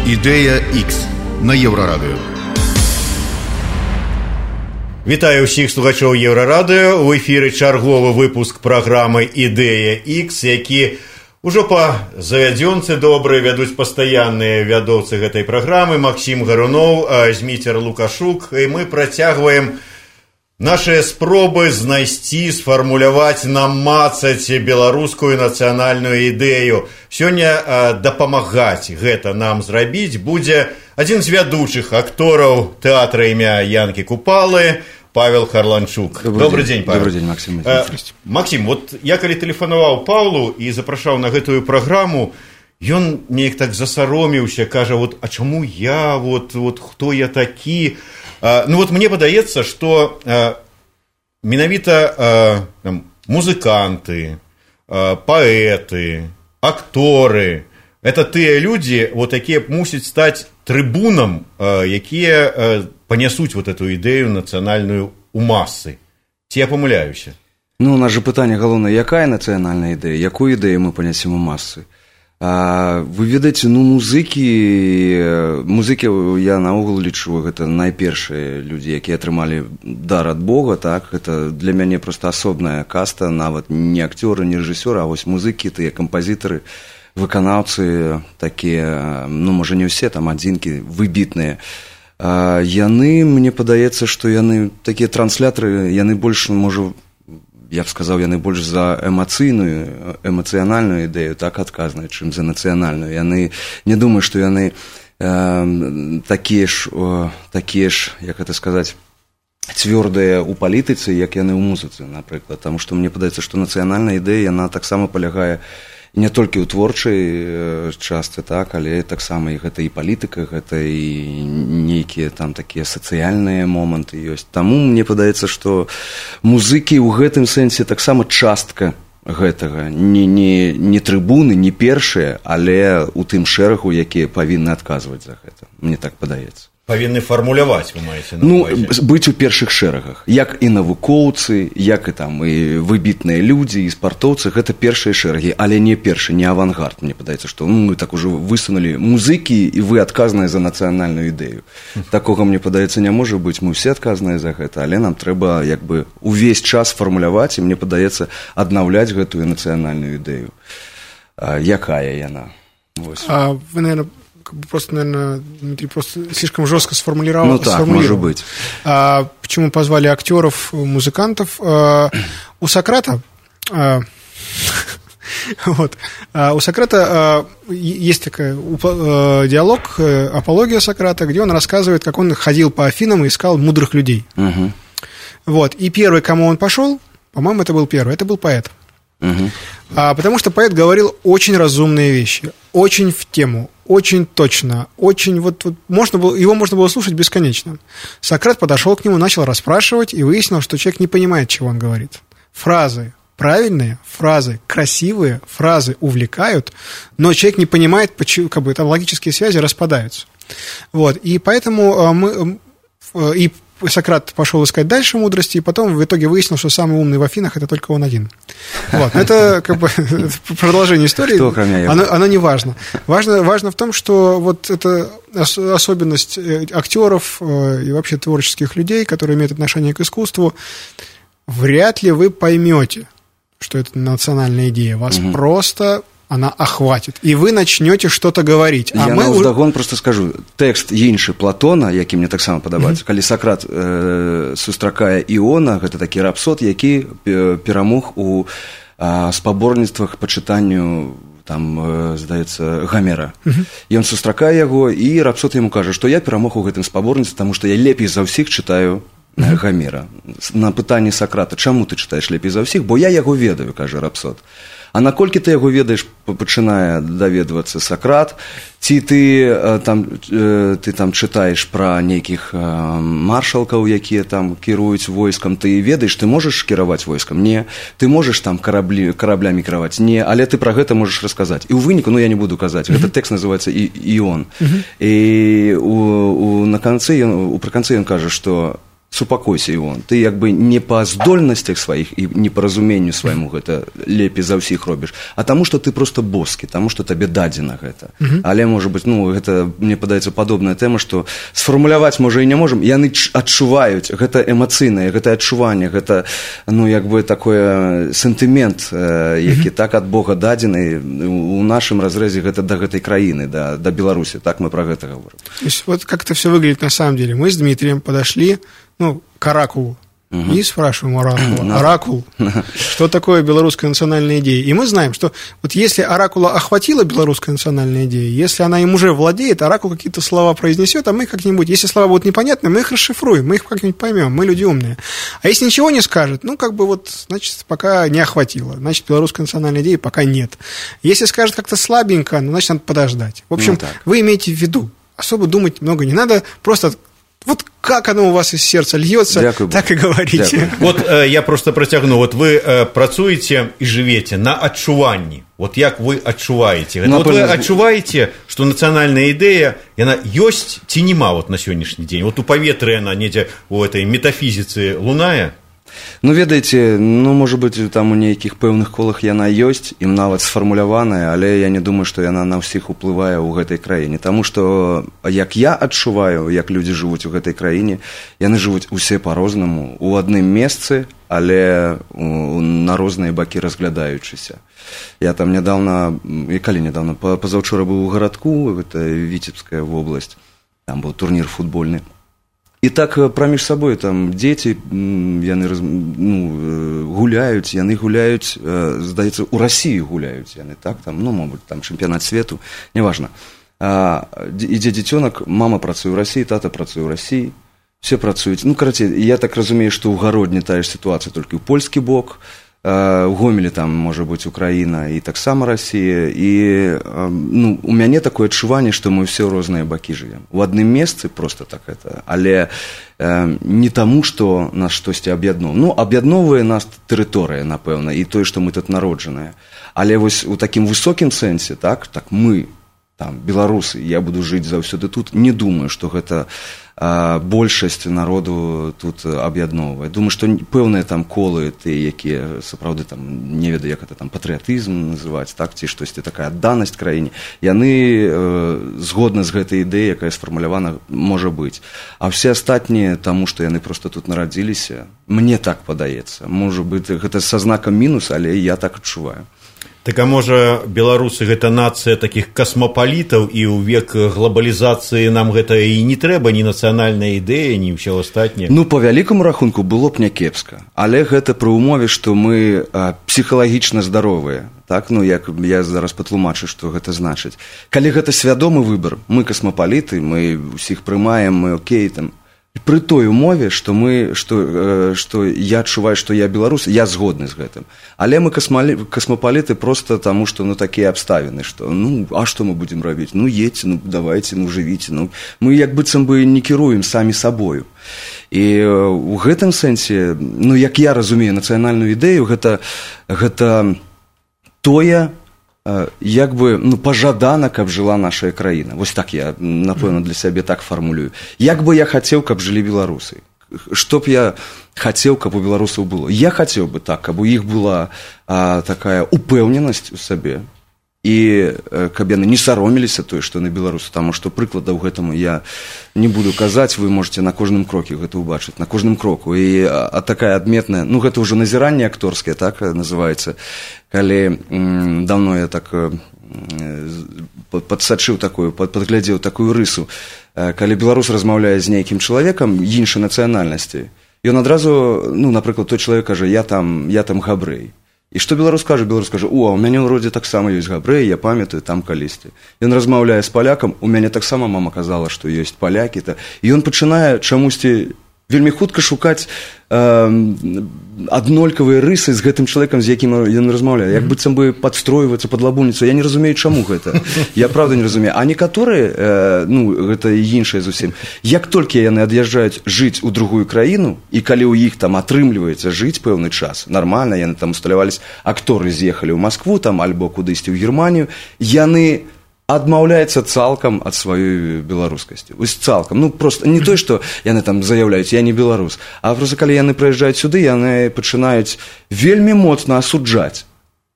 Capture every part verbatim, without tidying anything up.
Ідэя Х на Еўрарадыё. Вітаю ўсіх слухачоў Еўрарадыё. У эфіры чарговы выпуск праграмы «Ідэя Х», які ўжо па завядзёнцы добрыя вядуць пастаянныя вядоўцы гэтай праграмы Максім Гаруноў, Зміцер Лукашук. І мы працягваем нашыя спробы знайсці, сфармуляваць, намацаць беларускую нацыянальную ідэю. Сёння дапамагаць гэта нам зрабіць будзе адзін з вядучых актораў тэатра імя Янкі Купалы, Павел Харланчук. Добрый, Добрый день, день, Павел. Добрый день, Максим. А, Максим, вот я калі тэлефанаваў Павлу і запрашаў на гэтую праграму, ён неяк так засаромеўся, кажа, вот, а чаму я, вот, вот, хто я такі? А, ну вот мне падаецца, што а, менавіта а, там, музыканты, а, паэты, акторы, это тыя людзі, вот, якія мусяць стаць трыбунам, а, якія а, панясуць вот эту ідэю нацыянальную у масы. Ці я памыляюся? Ну, у нас же пытанне галоўнае, якая нацыянальная ідэя, якую ідэю мы панясем у масы? А, вы ведаеце, ну, музыкі, музыкі, я наогул лічу, гэта найпершыя людзі, якія атрымалі дар ад Бога, так, гэта для мяне проста асобная каста, нават не акцёры, не рэжысёры, а вось музыкі, тыя кампазітары, выканаўцы такія, ну, можа, не ўсе, там, адзінкі выбітныя. А, яны, мне падаецца, што яны, такія транслятары, яны больш, можа, я б сказаў, яны больш за эмацыйную, эмацыянальную ідэю, так адказныя, чым за нацыянальную. Яны, не думаю, што яны э, такія ж, о, такія ж, як гэта сказаць, цвёрдыя ў палітыцы, як яны ў музыцы, напрыклад. Таму што мне падаецца, што нацыянальная ідэя, яна таксама палягае не толькі ў творчай частцы, так, але таксама і гэта і палітыка, гэта і нейкія там такія сацыяльныя моманты ёсць. Таму мне падаецца, што музыкі ў гэтым сэнсе таксама частка гэтага. Не, не, не трыбуны, не першыя, але ў тым шэрагу, якія павінны адказваць за гэта. Мне так падаецца. Павінны фармуляваць, вы маеце на ну, ўвазе? Быць у першых шэрагах. Як і навукоўцы, як і там і выбітныя людзі, і спартоўцы, гэта першыя шэрагі, але не першы, не авангард. Мне падаецца, што ну, мы так ужо высунулі музыкі, і вы адказныя за нацыянальную ідэю. Такога, мне падаецца, не можа быць. Мы ўсе адказныя за гэта, але нам трэба як бы увесь час фармуляваць, і мне падаецца аднаўляць гэтую нацыянальную ідэю. А, якая яна? Вось. А вы, наверное, просто, наверное, Дмитрий просто слишком жестко сформулировал. Ну так, может быть. А, почему позвали актеров, музыкантов? А, у Сократа, а, вот, а, у Сократа а, есть такой а, диалог, апология Сократа, где он рассказывает, как он ходил по Афинам и искал мудрых людей. Угу. Вот, и первый, к кому он пошел, по-моему, это был первый, это был поэт. Угу. А, потому что поэт говорил очень разумные вещи, очень в тему, очень точно, очень вот, вот можно было, его можно было слушать бесконечно. Сократ подошел к нему, начал расспрашивать и выяснил, что человек не понимает, чего он говорит. Фразы правильные, фразы красивые, фразы увлекают, но человек не понимает, почему, как бы там логические связи распадаются. Вот, и поэтому мы и Сократ пошел искать дальше мудрости, и потом в итоге выяснил, что самый умный в Афинах – это только он один. Вот. Это как бы продолжение истории. Кто, кроме его? Оно, оно не важно. важно. Важно в том, что вот эта особенность актеров и вообще творческих людей, которые имеют отношение к искусству, вряд ли вы поймете, что это национальная идея. Вас угу. просто... она охватит, і вы начнете что-то говорить. А я мы... навздагон просто скажу, тэкст іншы Платона, які мне таксама падабаецца, mm-hmm. калі Сократ э, сустракае Іона, гэта такі рапсод, які перамог у э, спаборніцтвах па чытанню там, э, здаецца, Гамера. Mm-hmm. Ён сустракае яго, і рапсод яму кажа, што я перамог у гэтым спаборніцтве, таму што я лепей за ўсіх чытаю mm-hmm. Гамера. На пытанне Сократа, чаму ты чытаеш лепей за ўсіх? Бо я яго ведаю, кажа рапсод. А наколькі ты яго ведаеш, пачынае даведвацца Сократ, ці ты там, ты там чытаеш пра нейкіх маршалкаў, якія там кіруюць войскам, ты ведаеш, ты можаш кіраваць войскам? Не. Ты можаш там караблі, караблямі кіраваць? Не. Але ты пра гэта можаш расказаць. І ў выніку, ну я не буду казаць, mm-hmm. гэты тэкст называецца «Іон». Mm-hmm. І у, у, на канцы, у прыканцы ён кажа, што супакойся Івон, ты як бы не па здольнасцях сваіх і не па разуменню свайму гэта лепей за ўсіх робіш, а таму, што ты просто боскі, таму, што табе дадзена гэта. Mm-hmm. Але, можа быць, ну, гэта, мне падаецца, падобная тэма, што сфармуляваць, можа, і не можам, яны адчуваюць, гэта эмацыйнае, гэта адчуванне, гэта, ну, як бы, такое сентымент, які mm-hmm. так ад Бога дадзены, у нашым разрэзе гэта да гэтай краіны, да, да Беларусі, так мы пра гэта говорим. То есть, вот как это все выглядит на самом деле. Мы с Дмитрием подошли, ну, к оракулу. Угу. И спрашиваем оракул, оракул, что такое белорусская национальная идея. И мы знаем, что вот если оракула охватила белорусская национальная идея, если она им уже владеет, оракул какие-то слова произнесет, а мы как-нибудь, если слова будут непонятны, мы их расшифруем, мы их как-нибудь поймем, мы люди умные. А если ничего не скажет, ну, как бы вот, значит, пока не охватило, значит, белорусская национальная идея пока нет. Если скажет как-то слабенько, ну, значит, надо подождать. В общем, ну, вы имеете в виду, особо думать много не надо, просто... Вот как оно у вас из сердца льется, Дякую, так и говорите. Дякую. Вот э, я просто протягну. Вот вы э, працуете и живете на адчуванні. Вот як вы адчуваете? Вот вы адчуваете, что национальная идея, она есть ці нема вот на сегодняшний день? Вот у паветры она недзе у этой метафизицы лунае? Ну, ведаеце, ну, можа быць, там у нейкіх пэўных колах яна ёсць, ім нават сфармуляваная, але я не думаю, што яна на ўсіх уплывае ў гэтай краіне. Таму што, як я адчуваю, як людзі жывуць у гэтай краіне, яны жывуць усе па-рознаму, у адным месцы, але на розныя бакі разглядаючыся. Я там нядаўна, і калі нядаўна, пазаўчора быў у гарадку, гэта Віцебская вобласць, там быў турнір футбольны. І так праміж сабой там дзеці, яны ну, гуляюць, яны гуляюць, здаецца, у Расіі гуляюць яны, так, там, ну, мабуть, там чэмпіянат свету, неважна. А, ідзе дзіцёнак, мама працуе ў Расіі, тата працуе ў Расіі, все працуюць. Ну, карацей, я так разумею, што ў Гародні тая ж сітуацыя толькі ў польскі бок, у Гомелі там можа быць Украіна і таксама Расія, і ну, у мяне такое адчуванне, што мы ўсе ў розныя бакі жывем. У адным месцы просто так это, але э, не таму, што нас штосьці аб'ядноўвае. Ну, аб'ядноўвае нас тэрыторыя, напэўна, і тое, што мы тут народжаныя. Але вось у такім высокім сэнсе, так, так мы, там, беларусы, я буду жыць заўсёды тут, не думаю, што гэта а, большасць народу тут аб'ядноўвае. Думаю, што пэўныя там колы, ты, якія сапраўды там, не ведаю, як это там патрыятызм называць, так, ці штосьці такая адданасць краіне, яны э, згодна з гэтай ідэяй, якая сфармулявана, можа быць. А все астатнія, таму што яны проста тут нарадзіліся, мне так падаецца. Можа быць, гэта са знакам мінус, але я так адчуваю. Так, а можа, беларусы гэта нацыя такіх касмапалітаў, і ў век глобалізацыі нам гэта і не трэба, ні нацыянальная ідэя, ні ўсё астатняе? Ну, па вялікаму рахунку, было б някепска. Але гэта пры ўмове, што мы а, псіхалагічна здаровыя. Так, ну, як я зараз патлумачу, што гэта значыць. Калі гэта свядомы выбар, мы касмапаліты, мы ўсіх прымаем, мы окей, там, пры той умове, што мы, што, што я адчуваю, што я беларус, я згодны з гэтым. Але мы касмапаліты проста таму, што ну, такія абставіны, што ну, а што мы будзем рабіць? Ну, едьце, ну, давайце, ну, жывіце. Ну, мы як быццам бы не кіруем самі сабою. І ў гэтым сэнсе, ну, як я разумею нацыянальную ідэю, гэта, гэта тое, як бы, ну, пажадана, каб жыла наша краіна. Вось так я, напэўна, для сябе так фармулюю. Як бы я хацеў, каб жылі беларусы? Што б я хацеў, каб у беларусаў было? Я хацеў бы так, каб у іх была а, такая упэўненасць у сабе, і каб яны не саромеліся тое, што на беларусу, таму што прыкладаў гэтаму я не буду казаць, вы можете на кожным кроке гэта ўбачыць, на кожным кроку. І а, а такая адметная, ну гэта ўжо назіранне акторскае, так называецца, калі м, даўно я так э, падсачыў такую, падглядзеў такую рысу, э, калі беларус размаўляе з нейкім чалавекам іншай нацыянальнасці, ён адразу, ну, напрыклад, той чалавек кажа, я там, я там габрэй. І што беларус кажа? Беларус кажа, о, у мяне ў родзе таксама ёсць габрэі, я памятаю, там калісьці. Ён размаўляе з палякам, у мяне таксама мама казала, што ёсць палякі. І ён пачынае чамусьці вельмі хутка шукаць э, аднолькавыя рысы з гэтым чалавекам, з якім ён размаўляе. Як быццам бы падстройвацца пад лабуніцу. Я не разумею, чаму гэта. Я правда не разумею. А некаторыя, э, ну, гэта іншае зусім, як толькі яны ад'язджаюць жыць у другую краіну, і калі ў іх там атрымліваецца жыць пэўны час, нармальна, яны там усталяваліся, акторы з'ехалі ў Маскву, там, альбо кудысьці ў Германію, яны адмаўляецца цалкам ад сваёй беларускасці. Вось цалкам. Ну, просто не той, што яны там заяўляюць, я не беларус, а просто калі яны прыязджаюць сюды, яны пачынаюць вельмі моцна асуджаць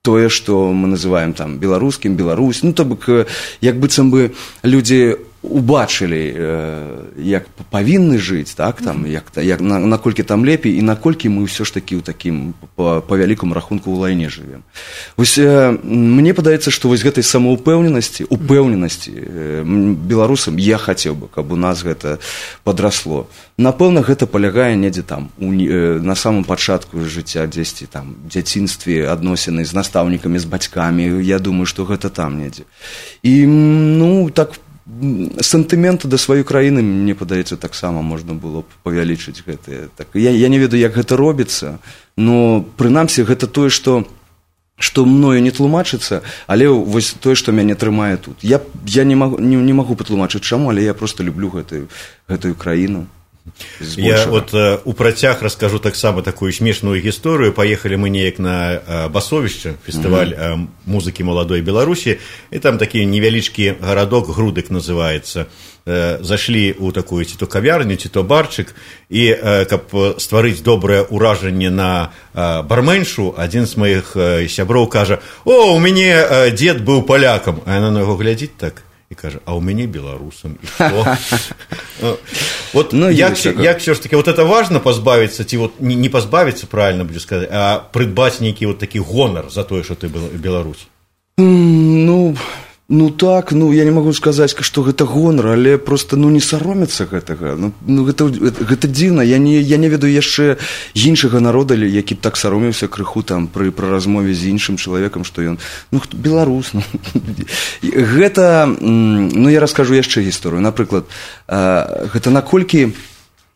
тое, што мы называем там беларускім, Беларусь. Ну, то бок, як быццам бы людзі убачылі, як павінны жыць, так, там, як, як, наколькі там лепей і наколькі мы ўсё ж такі ў такім, па, па вялікому рахунку, ў лайне жывем. Вось мне падаецца, што вось гэтай самаўпэўненасці, упэўненасці беларусам я хацеў бы, каб у нас гэта падрасло. Напэўна, гэта палягае недзе там, у, на самым пачатку жыцця, дзесьці там, дзяцінстве, адносіны з настаўнікамі, з бацькамі, я думаю, што гэта там недзе. І, ну, так, сантыменты да сваёй краіны, мне падаецца, таксама можна было б павялічыць гэтыя. Так, я, я не ведаю, як гэта робіцца, но прынамсі гэта тое, што, што мною не тлумачыцца, але вось тое, што мяне трымае тут. Я, я не, магу, не, не магу патлумачыць чаму, але я проста люблю гэтую, гэтую краіну. Я вот э, у працяг раскажу таксама такую смешную гісторыю. Паехалі мы неяк на э, Басовішча, фестываль э, музыкі маладой Беларусі, і там такі невялічкі гарадок, Грудык называецца. Э, зашлі ў такую ці то кавярню, ці то барчык, і э, каб стварыць добрае ўражанне на э, барменшу, адзін з маіх э, сяброў кажа: «О, у мяне э, дзед быў палякам». А яна на яго глядзіць так і кажа: «А ў мяне беларусам, і што?» Вот ну, як, як все ж таки, вот это важно позбавиться, ці вот не, не позбавиться, правильно буду сказать, а придбать некий вот такий гонор за то, что ты Беларусь? Ну, ну так, ну я не могу сказать, что это гонор, але просто, ну, не саромецца гэтага. Ну, ну гэта, гэта дзіўна. Я не, я не ведаю яшчэ іншага народа, які б так саромеўся крыху там пры, пры размове з іншым чалавекам, што ён, ну, беларус. Ну. Гэта, ну, я раскажу яшчэ гісторыю. Напрыклад, гэта наколькі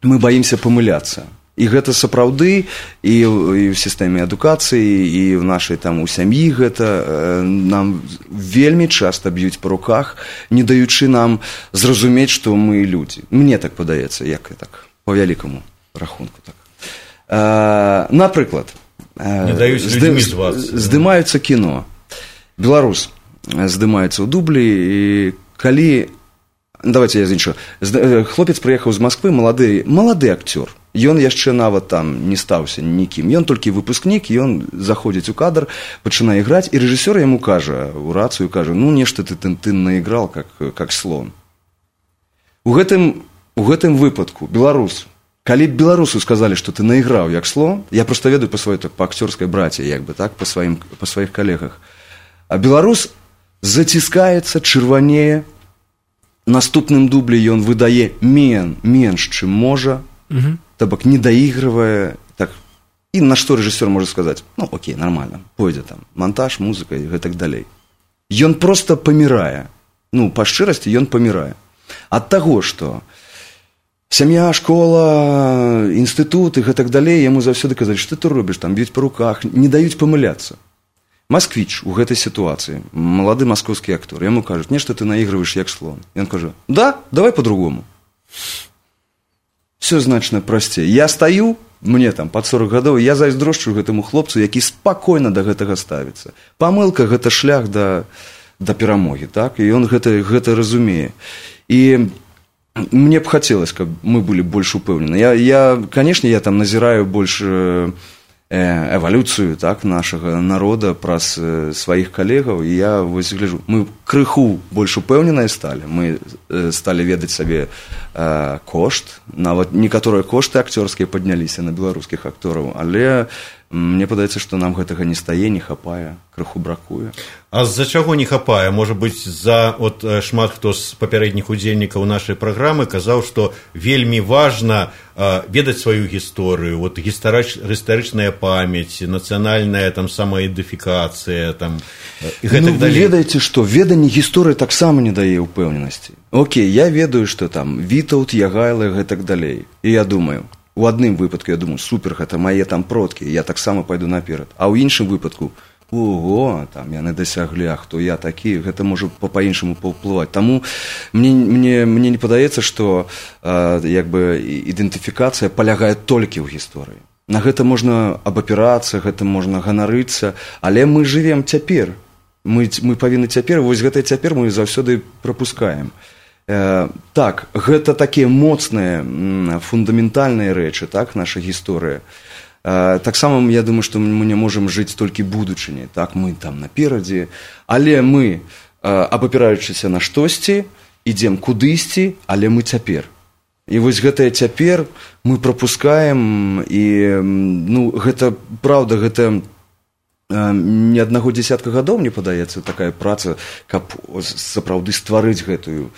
мы баімся памыляцца. І гэта сапраўды і, і ў сістэме адукацыі, і ў нашай там у сям'і гэта нам вельмі часта б'юць па руках, не даючы нам зразумець, што мы людзі. Мне так падаецца, як і так, па вялікаму рахунку. Так. А, напрыклад, не даюць людзьмі звацца. Здымаюцца кіно. Беларус здымаецца ў дублі, і калі... Давайте я зіншую. Хлопец прыехаў з Масквы, малады, малады акцёр. Ён яшчэ нават там не стаўся нікім. Ён толькі выпускнік, ён заходзіць у кадр, пачынае іграць, і рэжысёр яму кажа, у рацыю кажа: «Ну, нешта ты, ты, ты наіграл, как, как слон». У гэтым, у гэтым выпадку беларус, калі беларусу сказалі, што ты наіграў як слон, я проста ведаю па сваёй, так, па акцёрскай браце, як бы, так, па, сваім, па сваіх калегах, а беларус заціскаецца, чырванее, наступным дублі ён выдае мен, менш, чым можа, угу. То бок не даігрывае, так, і на што рэжысёр можа сказаць: «Ну, окей, нормально, пойдзе там монтаж, музыка і гэтак далей». Ён проста памірае, ну, па шчырасці ён памірае. Ад таго, што сям'я, школа, інстытут і гэтак далей, яму заўсёды казалі: «Што ты робіш, там б'юць па руках», не даюць памыляцца. Масквіч у гэтай сітуацыі, малады маскоўскі актор, яму кажуць: «Нешта ты наігрываеш як слон». Ён кажа: «Да, давай по-другому». Все значна прасцей. Я стаю, мне там пад сорок гадоў, я зайздрошчу гэтаму хлопцу, які спакойна да гэтага ставіцца. Памылка — гэта шлях да, да перамогі, так? І ён гэта, гэта разумее. І мне б хацелось, каб мы былі больш упэўнены. Я, я, канешне, я там назіраю больш эвалюцыю, так, нашага народа праз сваіх калегаў, і я вось гляджу, мы крыху больш упэўненыя сталі, мы сталі ведаць сабе э, кошт, нават некаторыя кошты акцёрскія падняліся на беларускіх актораў, але мне падаецца, што нам гэтага не стае, не хапае, крыху бракуе. А з-за чаго не хапае? Можа быць, за от шмат хто з папярэдніх удзельнікаў нашай праграмы казаў, што вельмі важна э, ведаць сваю гісторыю, вот гістарыч, гістарычная памяць, нацыянальная там самаідэнтыфікацыя, там і гэтак ну, далей. Вы ведаеце, што веданне гісторыі таксама не дае ўпэўненасці. Окей, я ведаю, што там Вітаўт, Ягайло, гэтак далей. І я думаю, у адным выпадку я думаю: супер, гэта мае там продкі, я таксама пайду наперад. А ў іншым выпадку: ого, там яны дасяглі, а хто я такі, гэта можа па-іншаму паўплываць. Таму мне, мне, мне не падаецца, што э, як бы ідэнтыфікацыя палягае толькі ў гісторыі. На гэта можна абапірацца, гэта можна ганарыцца, але мы жывем цяпер. Мы, мы павінны цяпер, вось гэта цяпер мы заўсёды прапускаем. Э, так, гэта такія моцныя, фундаментальныя рэчы, так, наша гісторыя. Э, таксама, я думаю, што мы не можам жыць толькі будучыняй, так, мы там наперадзе, але мы, э, абапіраючыся на штосьці, ідзем кудысьці, але мы цяпер. І вось гэтае цяпер мы прапускаем, і, ну, гэта, праўда, гэта не аднаго дзесятка гадоў, мне падаецца, такая праца, каб сапраўды стварыць гэтую,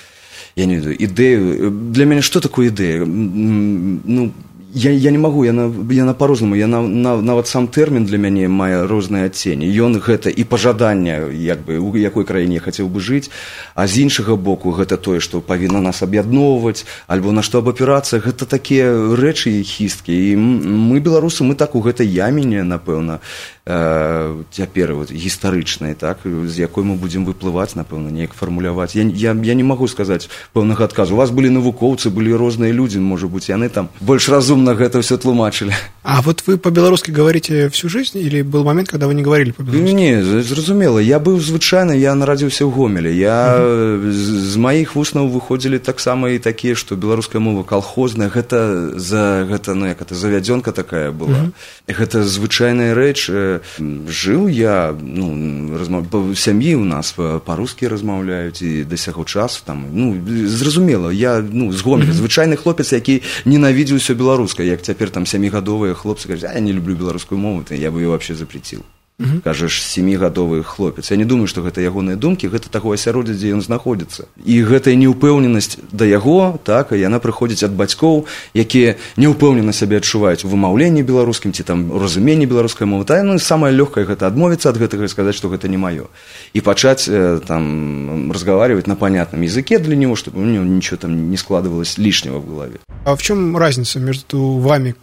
я не ведаю, ідэю. Для мяне што такое ідэя? Ну, я, я не магу, яна, яна па-рознаму, яна, на, нават сам тэрмін для мяне мае розныя адценні. Ён гэта і пажаданне, як бы, у якой краіне я хацеў бы жыць, а з іншага боку гэта тое, што павінна нас аб'ядноўваць, альбо на што абапірацца, гэта такія рэчы хісткі. І мы, беларусы, мы так у гэтай яміне, напэўна, цяпер вот, гістарычнай, так, з якой мы будзем выплываць, напэўна, неяк фармуляваць. Я, я, я не магу сказаць пэўнага адказу. У вас былі навукоўцы, былі розныя людзі, можа быць, яны там больш разумна гэта ўсё тлумачылі. А вот вы по-беларускі говорите всю жизнь, или был момент, когда вы не говорили по-беларускі? Не, зразумела. Я быў звычайна, я нарадзіўся ў Гомелі. Я uh-huh. з, з маіх вуснаў выходзілі таксама і такія, што беларуская мова калхозная, гэта, за, гэта, ну, як это, завядзёнка такая была. Uh-huh. Гэта звычайная рэч. Жыў я, ну, размаў... сям'і ў нас па-рускі размаўляюць і да сяго часу там, ну, зразумела, я, ну, з Гомеля, mm-hmm. звычайны хлопец, які ненавідзеў усё беларускае, як цяпер там сямігадовыя хлопцы кажуць, а я не люблю беларускую мову, то я бы её вообще запреціў. Mm-hmm. Кажаш, сямігадовы хлопец. Я не думаю, што гэта ягоныя думкі, гэта таго асяроддзя, дзе ён знаходзіцца. І гэтая неўпэўненасць да яго, так, яна прыходзіць ад бацькоў, якія неўпэўнена сябе адчуваюць у вымаўленні беларускім ці там разуменні беларускай мовы. Та, ну, самае лёгкае гэта адмовіцца ад гэтага і сказаць, што гэта не маё. І пачаць там разговаривать на понятном языке для него, чтобы у него ничего там не складывалось лишнего в голове. А в чем разница между вами,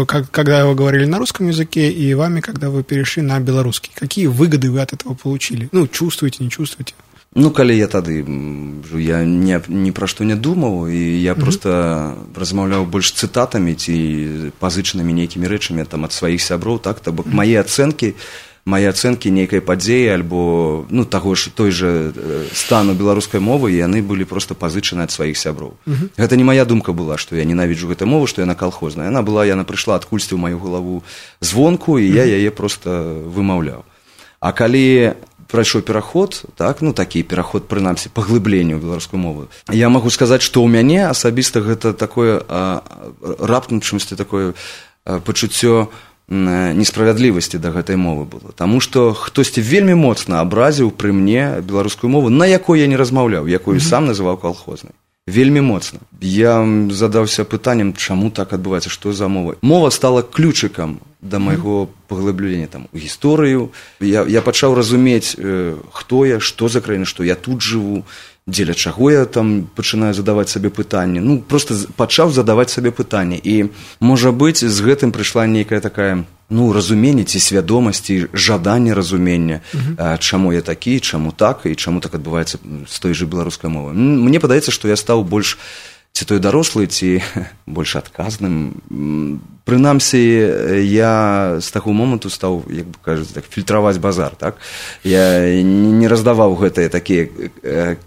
когда вы говорили на русском языке, и вами, когда вы перешли на белорусский? Какие выгоды вы от этого получили? Ну, чувствуете, не чувствуете? Ну, калі я тады, я ні, ні пра што не думаў, і я mm-hmm. проста размаўляў больш цытатамі ці пазычанымі нейкімі рэчамі там ад сваіх сяброў, так, то бок mm-hmm. мае ацэнкі, мае ацэнкі нейкай падзеі альбо, ну, таго ж той жа стану беларускай мовы, яны былі проста пазычаны ад сваіх сяброў. Mm-hmm. Гэта не мая думка была, што я ненавіджу гэту мову, што яна калхозная. Яна была, яна прыйшла адкульсьці ў маю галаву звонку, і я яе проста вымаўляў. А калі прайшоў пераход, так, ну, такі пераход, прынамсі, паглыбленню ў беларускую мову, я магу сказаць, што ў мяне асабіста гэта такое а, раптам чымсьці такое а, пачуццё несправядлівасці да гэтай мовы было. Таму што хтосьці вельмі моцна абразіў пры мне беларускую мову, на якой я не размаўляў, якую mm-hmm. сам называў калхознай. Вельмі моцна. Я задаўся пытаннем, чаму так адбываецца, што за мова. Мова стала ключыкам да майго паглыблення там у гісторыю. Я, я пачаў разумець, э, хто я, што за краіна, што я тут жыву, дзеля чаго я там пачынаю задаваць сабе пытанні. Ну, проста пачаў задаваць сабе пытанні. І, можа быць, з гэтым прыйшла нейкая такая, ну, разуменне ці свядомасць, ці жаданне разумення, uh-huh. чаму я такі, чаму так, і чаму так адбываецца з той жа беларускай мовы. Мне падаецца, што я стаў больш ці той дарослы, ці больш адказным. Прынамсі, я з таго моманту стаў, як бы кажуць, так, фільтраваць базар, так? Я не раздаваў гэтыя такія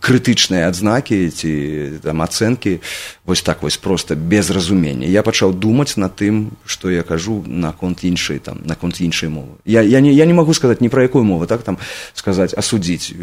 крытычныя адзнакі ці там ацэнкі вось так вось проста без разумення. Я пачаў думаць над тым, што я кажу наконт іншай там, наконт іншай мовы. Я, я, не, я не магу сказаць ні пра якую мову, так, там, сказаць, асудзіць.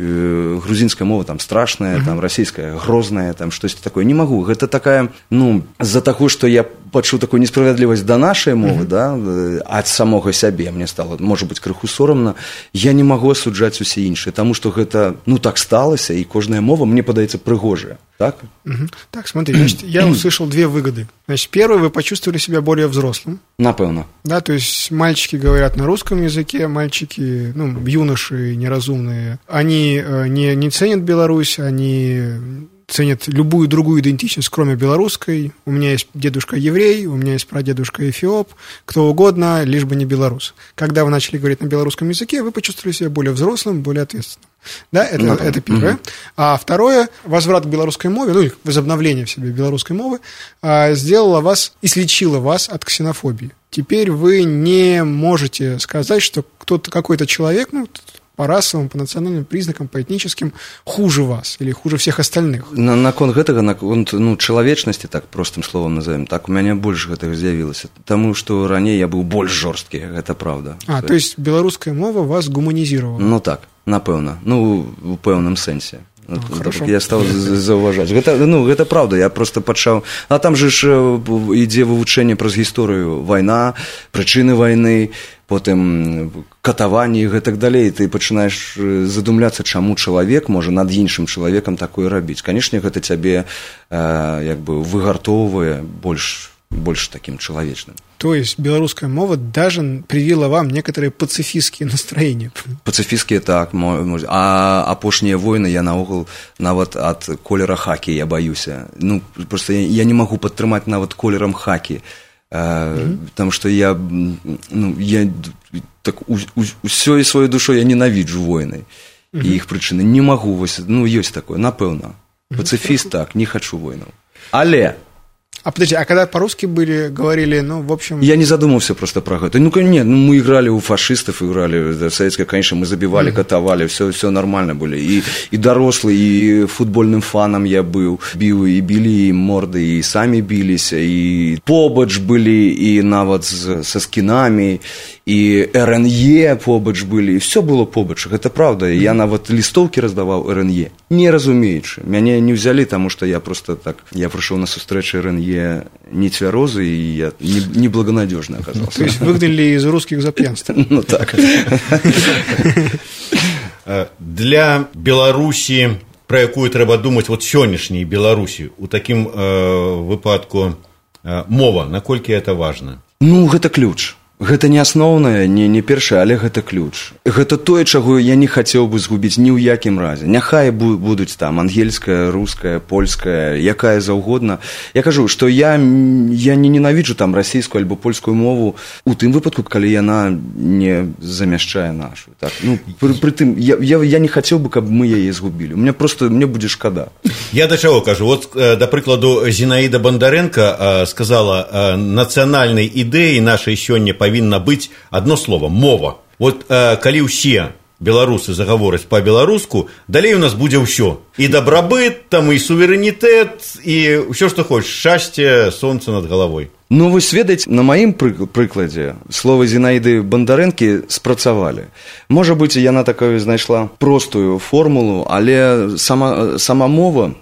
Грузінская мова там страшная, там, расійская грозная, там, штосьці такое. Не магу. Гэта такая, ну, з-за таго, што я пачуў такую несправядлівасць да нашай мовы, mm-hmm. да, ад самога сябе мне стало, можа быць, крыху сорамна, я не магу асуджаць усе іншыя, таму што гэта, ну, так сталася, і кожная мова, мне падаецца, прыгожая, так? Mm-hmm. Так, смотри, значит, я услышал две выгоды. Значит, первое, вы почувствовали себя более взрослым. Напевно. Да, то есть мальчики говорят на русском языке, мальчики, ну, юноши неразумные, они не, не ценят Беларусь, они ценят любую другую идентичность, кроме белорусской. У меня есть дедушка еврей, у меня есть прадедушка эфиоп, кто угодно, лишь бы не белорус. Когда вы начали говорить на белорусском языке, вы почувствовали себя более взрослым, более ответственным. Да, это, ну, это первое. Угу. А второе, возврат к белорусской мове, ну, возобновление в себе белорусской мовы, сделало вас, излечило вас от ксенофобии. Теперь вы не можете сказать, что кто-то, какой-то человек, ну, по расовым, по национальным признакам, по этническим хуже вас или хуже всех остальных. На, наконт гэтага, наконт, ну, чалавечнасці, так простым словам назовем, так у мяне больш гэтага з'явілася, таму што раней я быў больш жорсткі, гэта правда. А, то есть беларуская мова вас гуманізировала? Ну так, напэўна, ну, у пэўным сэнсе. А, хорошо. Я стаў заўважаць. Гэта, ну, гэта правда, я просто пачаў... А там же ж ідзе вывучэнне праз гісторыю. Вайна, прычыны вайны, потым катаванні і гэтак далей. Ты пачынаеш задумляцца, чаму чалавек можа над іншым чалавекам такое рабіць. Канешне, гэта цябе э, як бы выгартоўвае больш, больш таким чалавечным. То есть белорусская мова даже привила вам некоторые пацифистские настроения. Пацифистские, так. А апошнія войны я наогул нават ад колера хакі я баюся. Ну, просто я, я не могу падтрымаць нават колерам хакі. Mm-hmm. Потому что я, ну, я так, у, у, усёй сваёй душой я ненавіджу войны. Mm-hmm. І іх прычыны. Не могу, вось, ну, ёсць такое, напэўна. Пацифіст, mm-hmm. так, не хочу войну. Але... А подожди, а когда по-русски были, говорили, ну, в общем... Я не задумался просто про это. Ну, нет, ну, мы играли у фашистов, играли в советское, конечно, мы забивали, mm-hmm. катовали, все, все нормально были. И, и дорослый, и футбольным фаном я был. Бил, и били, и морды, и сами бились, и побач были, и навод со скинами, и эр эн е побач были, и все было побач. Это правда. Mm-hmm. Я навод листовки раздавал эр эн е, не разумеючи. Меня не взяли, потому что я просто так... Я пришел на встречу эр эн е не цвярозы, и я неблагонадежно оказался. То есть выгнали из русских за пьянство. Ну так. Для Беларусі, про якую трэба думаць вот сённяшняй Беларусі, у такім э, выпадку э, мова, наколькі это важна? Ну, гэта ключ. Гэта не асноўнае, не, не першае, але гэта ключ. Гэта тое, чаго я не хацеў бы згубіць ні ў якім разе. Няхай будуць там ангельская, руская, польская, якая заўгодна. Я кажу, што я, я не ненавіджу там расійскую альбо польскую мову у тым выпадку, калі яна не замяшчае нашу. Так, ну, пры, пры тым, я, я, я не хацеў бы, каб мы яе згубілі. Мне просто, мне будзе шкада. Я да чаго кажу? Вот, да прыкладу, Зінаіда Бандарэнка сказала, нацыянальнай ідэі нашай сёння павінна быць одно слово – мова. Вот э, калі ўсе беларусы загавораць па-беларуску, далей у нас будзе ўсё. І дабрабыт, там, і суверэнітэт, і ўсё, што хочаш, шчасце, сонца над галавой. Ну, вы ведаеце, на маім прыкладзе словы Зінаіды Бандарэнкі спрацавалі. Можа быць, яна такую знайшла простую формулу, але сама, сама мова,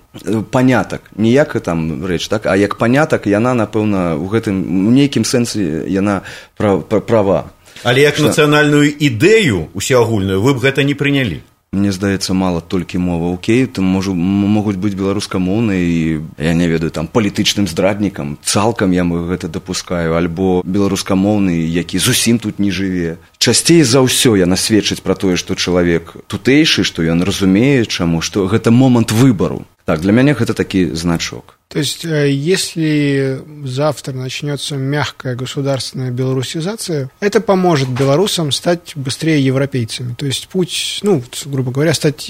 панятак, не як там рэч, так, а як панятак, яна, напэўна, у гэтым, у нейкім сэнсе яна права. Але як Што... нацыянальную ідэю усеагульную вы б гэта не прынялі? Мне здаецца, мала толькі мова. Окей, там можу, могуць быць беларускамоўныя і, я не ведаю, там, палітычным здраднікам. Цалкам я гэта дапускаю. Альбо беларускамоўны, які зусім тут не жыве. Часцей за ўсё яна сведчыць пра тое, што чалавек тутэйшы, што ён разумее, чаму, што гэта момант выбару. Так, для меня это таки значок. То есть, если завтра начнется мягкая государственная белорусизация, это поможет белорусам стать быстрее европейцами. То есть, путь, ну, грубо говоря, стать,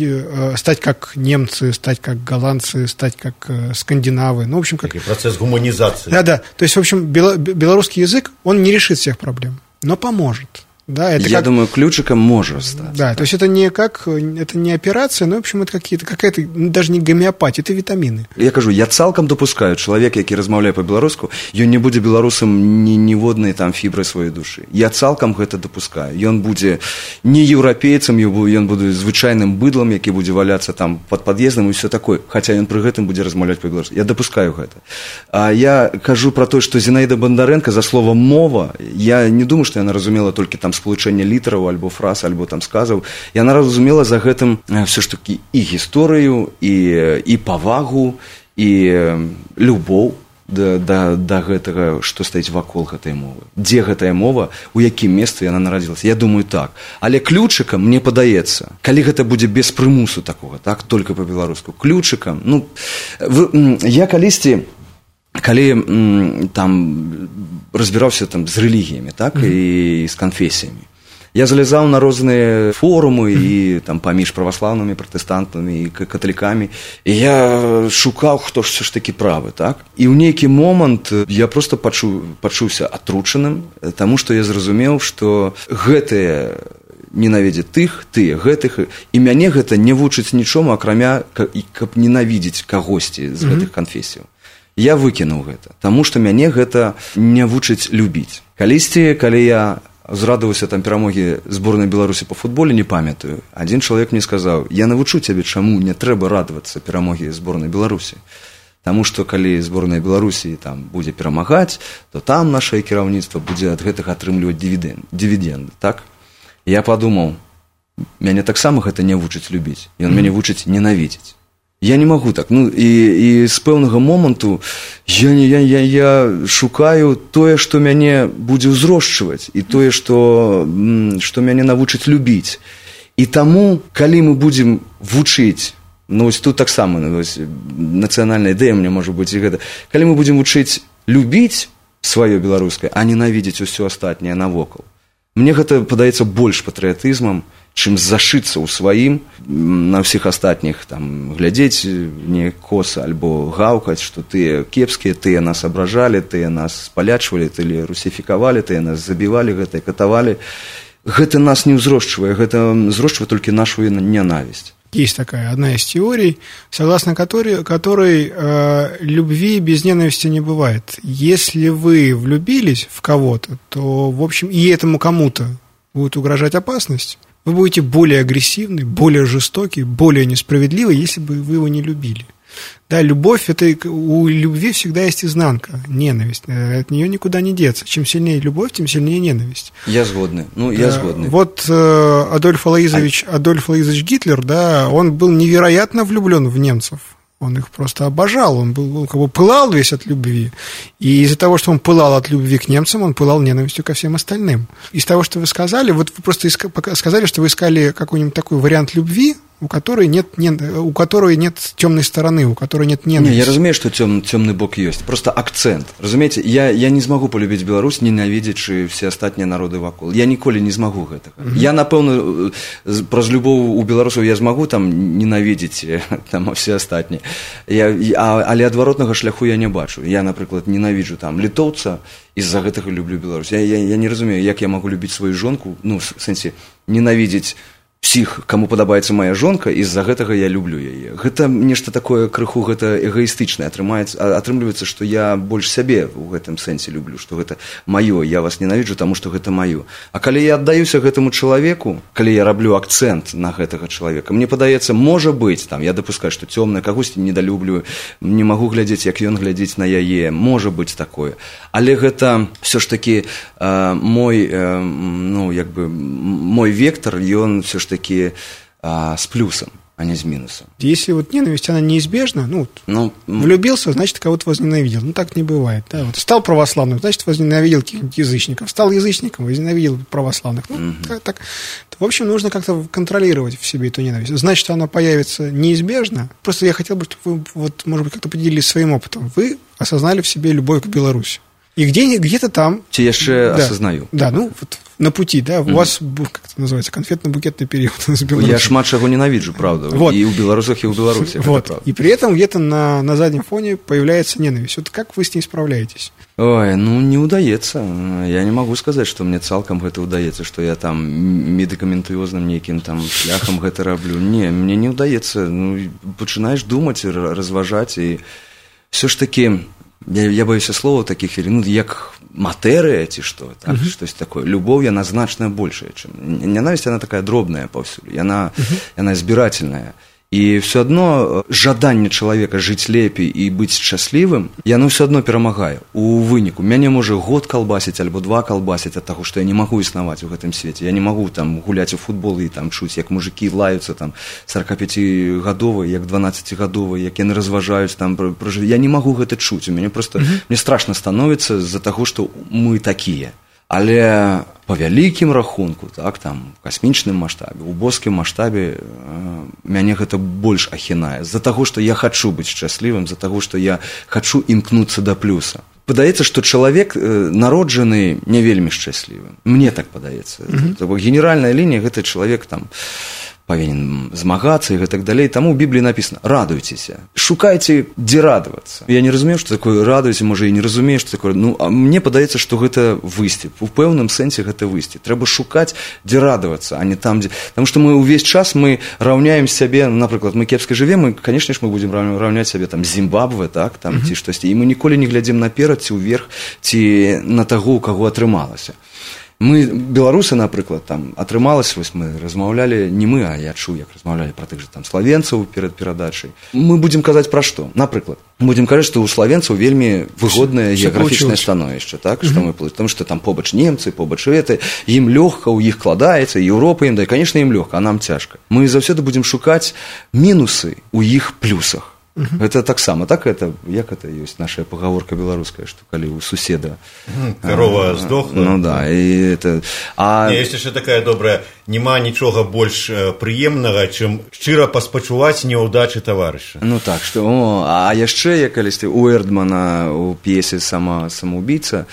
стать как немцы, стать как голландцы, стать как скандинавы. Ну, в общем, как... Такий процесс гуманизации. Да-да. То есть, в общем, белорусский язык, он не решит всех проблем, но поможет. Да, это Я как... думаю, ключиком может стать. Да, то есть это не как, это не операция, но, в общем, это какие-то, какая-то, даже не гомеопатия, это витамины. Я кажу, я цалкам допускаю, чалавек, які размаўляе па-беларуску, ён не будзе беларусам ні ніводнай там фібры сваёй душы. Я цалкам гэта допускаю. Ён будзе не еўрапейцам, ён будзе звычайным быдлам, які будзе валяцца там пад пад'ездам і ўсё такое, хаця ён пры гэтым будзе размаўляць па-беларуску. Я допускаю гэта. А я кажу про то, што Зінаіда Бандарэнка за слово мова, я не думаю, што яна разумела толькі там сполучэнне літараў, альбо фраз, альбо там сказаў. Яна разумела за гэтым все ж таки і гісторыю, і, і павагу, і любоў да, да, да гэтага, што стаіць вакол гэтай мовы. Дзе гэтая мова, у якім месцы яна нарадзілася? Я думаю, так. Але ключыкам, мне падаецца, калі гэта будзе без прымусу такога, так, толькі па-беларуску, ключыкам, ну, вы, я калісьці калі там разбіраўся там з рэлігіямі, так, mm-hmm. і з канфесіямі. Я залезаў на розныя форумы і там паміж праваслаўнымі, пратэстантамі і каталікамі, і я шукаў, хто ж все ж такі правы, так? І ў нейкі момант я проста пачу, пачуўся атручаным, таму што я зразумеў, што гэтыя ненавідзець тых, тыя, гэтых, і мяне гэта не вучыць нічому, акрамя, каб ненавідзець кагосьці з гэтых канфесіяў. Я выкінуў гэта, таму што мяне гэта не вучыць любіць. Калісьці, калі я зрадаваўся там перамогі зборнай Беларусі па футболе, не памятаю, адзін чалавек мне сказаў: я навучу цябе, чаму не трэба радавацца перамогі зборнай Беларусі. Таму што калі зборная Беларусі там будзе перамагаць, то там нашае кіраўніцтва будзе ад гэтага атрымліваць дывідэнды, дывідэнды, так? Я падумаў, мяне таксама гэта не вучыць любіць, ён мяне вучыць ненавідзець. Я не магу так, ну і, і з пэўнага моманту я, я, я, я шукаю тое, што мяне будзе ўзрошчваць, і тое, што, што мяне навучыць любіць. І таму, калі мы будзем вучыць, ну, вось тут таксама, ну, вось, нацыянальная ідэя мне можа быць і гэта. Калі мы будзем вучыць любіць сваё беларускае, а ненавідзець усё астатняе навокал, мне гэта падаецца больш патрыятызмам, чым зашыцца ў сваім, на ўсіх астатніх там глядзець не коса альбо гаўкаць, што тыя кепскія, тыя нас абражалі, тыя нас спалячвалі, тыя русіфікавалі, тыя нас забівалі, гэта катавалі. Гэта нас не ўзрошчвае, гэта ўзрошчвае толькі нашу ненавісць. Есть такая одна из теорий, согласно которой, которой э, любви без ненависти не бывает. Если вы влюбились в кого-то, то, в общем, и этому кому-то будет угрожать опасность, вы будете более агрессивны, более жестоки, более несправедливы, если бы вы его не любили. Да, любовь, это у любви всегда есть изнанка, ненависть. От нее никуда не деться. Чем сильнее любовь, тем сильнее ненависть. Я згодный. Ну, я згодный. Вот э, Адольф Алоизович, а... Адольф Алоизович Гитлер, да, он был невероятно влюблен в немцев. Он их просто обожал, он, был, он как бы пылал весь от любви. И из-за того, что он пылал от любви к немцам, он пылал ненавистью ко всем остальным. Из того, что вы сказали, вот вы просто иска, сказали, что вы искали какой-нибудь такой вариант любви, у которой нет, не, у которой нет темной стороны, у которой нет ненависти. Не, я разумею, что тем, темный бок есть. Просто акцент. Разумеете, я, я не смогу полюбить Беларусь, ненавидзячы все астатнія народы вакол. Я ніколі не смогу гэтага. Mm-hmm. Я, напэўна, праз любоў у беларусаў я змагу там ненавидзець там все астатнія. Я, а, але адваротнага шляху я не бачу. Я, напрыклад, ненавіджу там літоўца, из-за гэтага люблю Беларусь. Я, я, я не разумею, як я могу любіць сваю жонку, ну, в сэнсе, ненавидзець всіх, каму падабаецца моя жонка, і з-за гэтага я люблю яе. Гэта нешта такое крыху, гэта эгоістычнае. Атрымліваецца, што я больш сябе ў гэтым сэнсе люблю, што гэта маё, я вас ненавіджу, таму што гэта маё. А калі я аддаюся гэтаму чалавеку, калі я раблю акцэнт на гэтага чалавека, мне падаецца, можа быць, там, я дапускаю, што цёмнае, кагосьці недалюблю, не магу глядзець, як ён глядзіць на яе, можа быць такое. Але гэта все ж таки э, мой, э, ну, як бы, мой вектор, ён все ж таки а, с плюсом, а не с минусом. Если вот ненависть, она неизбежна, ну, ну влюбился, значит, кого-то возненавидел. Ну, так не бывает. Да? Вот стал православным, значит, возненавидел каких-нибудь язычников. Стал язычником, возненавидел православных. Ну, угу. так, так. В общем, нужно как-то контролировать в себе эту ненависть. Значит, что она появится неизбежно. Просто я хотел бы, чтобы вы, вот, может быть, как-то поделились своим опытом. Вы осознали в себе любовь к Беларуси. И где, где-то там... Те я еще да, осознаю. Да, ну, вот на пути, да, у mm-hmm. вас, как это называется, конфетно-букетный период с Беларусью. Я шмат чего ненавижу, правда, вот. И у белорусах, и у Беларуси. Вот. И при этом где-то на, на заднем фоне появляется ненависть. Вот как вы с ней справляетесь? Ой, ну, не удается. Я не могу сказать, что мне цалкам это удается, что я там медикаментозным неким там шляхом это роблю. Не, мне не удается. Ну, начинаешь думать, разважать, и все ж таки... Я, я боюсь слова таких хвілін, ну, як матэрыя ці што, так, uh-huh. штось такое. Любоў, яна значна большая, чым... Ненавісць, яна такая дробная паўсюль, яна, uh-huh. яна збірательная. І все адно жаданне чалавека жыць лепей і быць шчаслівым, яно все адно перамагае. У выніку мяне можа год калбасіць альбо два калбасіць ад таго, што я не магу існаваць у гэтым свеце. Я не магу там гуляць у футбол і там чуць, як мужыкі лаюцца там сорокапяцігадовыя, як дванаццацігадовыя, як яны разважаюць там пра жыццё. Я не магу гэта чуць. У мяне просто mm-hmm. мне страшна становіцца з-за таго, што мы такія. Але па вялікім рахунку, так, там, у касмічным маштабе, у боскім маштабе, э, мяне гэта больш ахінае. З-за таго, што я хачу быць шчаслівым, з-за таго, што я хачу імкнуцца да плюса. Падаецца, што чалавек э, народжаны не вельмі шчаслівым. Мне так падаецца. Mm-hmm. Генеральная лінія, гэта чалавек там павінен змагацца і гэтак далей. Таму ў Бібліі напісана: радуйцеся, шукайце, дзе радавацца. Я не разумею, што такое радуйце, можа, і не разумею, што такое. Ну, а мне падаецца, што гэта выйсце. У пэўным сэнсе гэта выйсце. Трэба шукаць, дзе радавацца, а не там, дзе... Таму што мы ўвесь час мы раўняем сябе, напрыклад, мы кепска жывем, і, канешне ж, мы будзем раўняць сябе там з Зімбабве, так, там, mm-hmm. ці штосьці. І мы ніколі не глядзім наперад, ці ўверх, ці на таго, у каго атрымалася. Мы, беларусы, напрыклад, там, атрымалася, вось мы размаўлялі, не мы, а я чуў, як размаўлялі пра тых жа там славенцаў перад перадачай. Мы будзем казаць пра што? Напрыклад, будзем казаць, што ў славенцаў вельмі выгоднае геаграфічнае становішча, так, што мы плывем, потому што там побач немцы, побач гэты, ім лёгка, у іх кладаецца, Еўропа ім, да, і, канешне, ім лёгка, а нам цяжка. Мы заўсёды будзем шукаць мінусы ў іх плюсах. Uh-huh. Это таксама, так это, як это ёсць наша пагаворка беларуская, што калі у суседа карова здохла. Ну да, і это. А не, ёсць яшчэ такая добрая, няма нічога больш прыемнага, чым шчыра паспачуваць няўдачы таварыша. Ну так, што, о, а яшчэ, як калісьці у Эрдмана у п'есе «Сама самоубийца»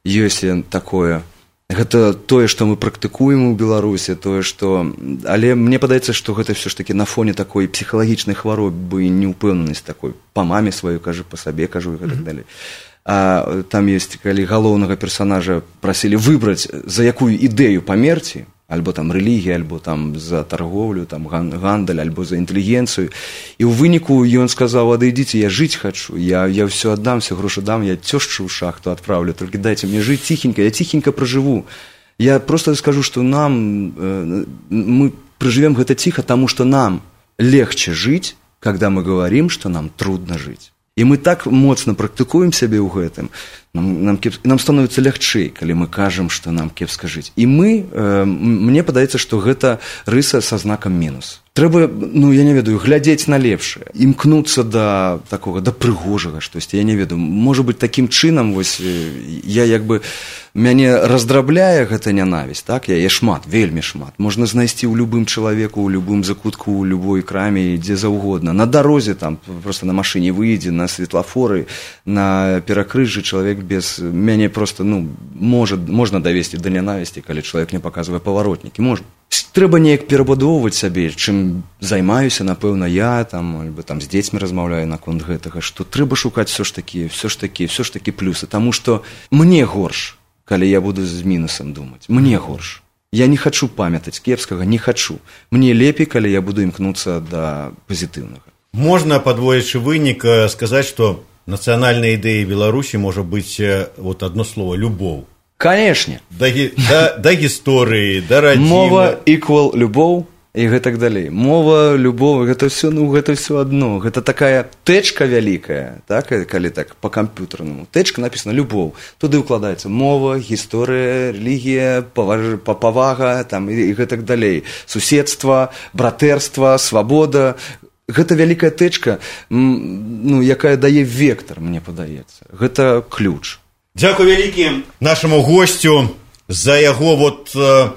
ёсць такое. Гэта тое, што мы практыкуем у Беларусі, тое, што... Але мне падаецца, што гэта ўсё ж такі на фоне такой псіхалагічнай хваробы, неўпэўненасць такой. Па маме сваёй кажу, па сабе кажу і гэтак далей. А там ёсць, калі галоўнага персанажа прасілі выбраць, за якую ідэю памерці, альбо там рэлігія, альбо там за тарговлю, там гандаль, альбо за інтэлігенцыю. І ў выніку ён сказаў: адыдзіце, я жыць хачу, я, я ўсё аддам, все грошы дам, я цёшчу ў шахту адпраўлю, толькі дайце мне жыць ціхенька, я ціхенька пражыву. Я просто скажу, што нам, э, мы проживем гэта ціха, таму што нам легче жыць, когда мы говорим, што нам трудно жыць. І мы так моцна практыкуем сябе ў гэтым, нам, нам, кеп... нам становіцца лягчэй, калі мы кажам, што нам кепска жыць. І мы, э, мне падаецца, што гэта рыса са знакам мінус. Трэба, ну, я не ведаю, глядзець на лепшае, імкнуцца да такога, да прыгожага штосьці, я не ведаю. Можа быць, такім чынам, вось, я як бы, мяне раздрабляе гэта нянавісць, так? Я, я шмат, вельмі шмат. Можна знайсці ў любым чалавеку, ў любым закутку, ў любой краме, дзе заўгодна. На дарозе, там, проста на машыне выйдзе, на светлафоры, на перакрыжжы чалавек без... Мяне проста, ну, можа, можна давесці да нянавісці, калі чалавек не паказвае паваротнікі, можна. Трэба неяк перабудоўваць сябе, чым займаюся, напэўна, я, там, альбо там з дзецьмі размаўляю наконт гэтага, што трэба шукаць все ж такі, все ж такі, все ж такі плюсы, таму што мне горш, калі я буду з мінусам думаць, мне горш. Я не хачу памятаць кепскага, не хачу. Мне лепей, калі я буду імкнуцца да пазітыўнага. Можна, падводзячы вынік, сказаць, што нацыянальнай ідэяй Беларусі можа быць вот одно слово — любоў. Канешне. Да, да, да гісторыі, да радзімы. Мова equal любоў і гэтак далей. Мова, любоў, гэта ўсё, ну, гэта ўсё адно. Гэта такая тэчка вялікая, так, калі так, па-камп'ютарнаму. Тэчка напісана любоў. Туды ўкладаецца мова, гісторыя, рэлігія, паваж... павага, там, і гэтак далей. Суседства, братэрства, свабода. Гэта вялікая тэчка, ну, якая дае вектар, мне падаецца. Гэта ключ. Дзякуй вялікі нашаму госцю за яго вот э,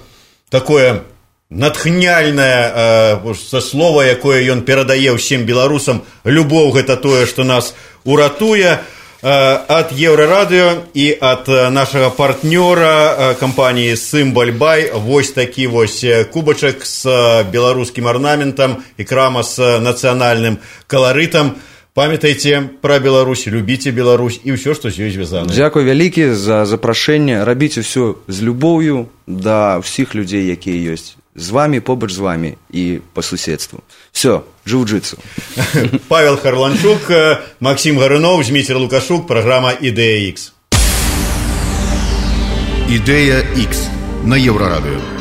такое натхняльнае э, слова, якое ён перадае ўсім беларусам. Любоў — гэта тое, што нас уратуе. Э, ад Еўрарадыё і ад нашага партнёра э, кампаніі «Сымбаль-бай» вось такі вось кубачак з беларускім арнаментам і крама з нацыянальным каларытам. Памятайце пра Беларусь, любіце Беларусь і ўсё, што з ёй звязана. Дзякуй вялікі за запрашэнне. Рабіць усё з любоўю да ўсіх людзей, якія ёсць з вамі, побач з вамі і па суседству. Всё, джиу-джитсу. Павел Харланчук, Максим Гарунов, Зміцер Лукашук, праграма «Ідэя Х». «Ідэя Х» на Еўрарадыё.